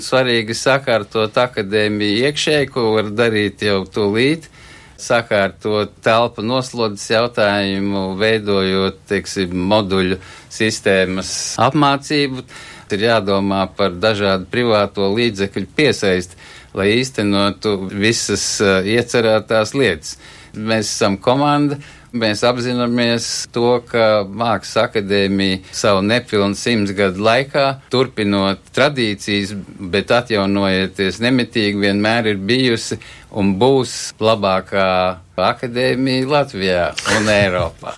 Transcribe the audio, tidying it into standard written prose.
Svarīgi sakārtot akadēmiju iekšēji, ko var darīt jau tūlīt, sakārtot telpu noslodzes jautājumu, veidojot, teiksim, moduļu sistēmas apmācību. Ir jādomā par dažādu privāto līdzekļu piesaisti, lai īstenotu visas iecerētās lietas. Mēs esam komanda. Mēs apzināmies to, ka Mākslas akadēmija savu nepilnu 100 gadu laikā, turpinot tradīcijas, bet atjaunojoties nemitīgi, vienmēr ir bijusi un būs labākā akadēmija Latvijā un Eiropā.